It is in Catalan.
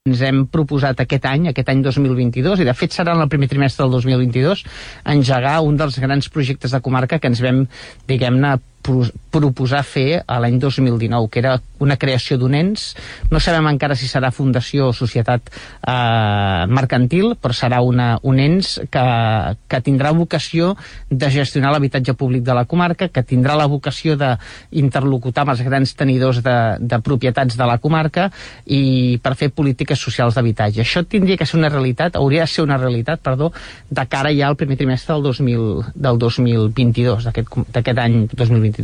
ens hem proposat aquest any 2022, i de fet serà en el primer trimestre del 2022, engegar un dels grans projectes de comarca que ens vam, diguem-ne, proposar fer a l'any 2019, que era una creació d'un ens. No sabem encara si serà fundació o societat mercantil, però serà un ens que tindrà vocació de gestionar l'habitatge públic de la comarca, que tindrà la vocació d'interlocutar amb els grans tenidors de propietats de la comarca i per fer polítiques socials d'habitatge. Això tindria que ser una realitat, hauria de ser una realitat, de cara ja al primer trimestre del 2022, d'aquest any 2022.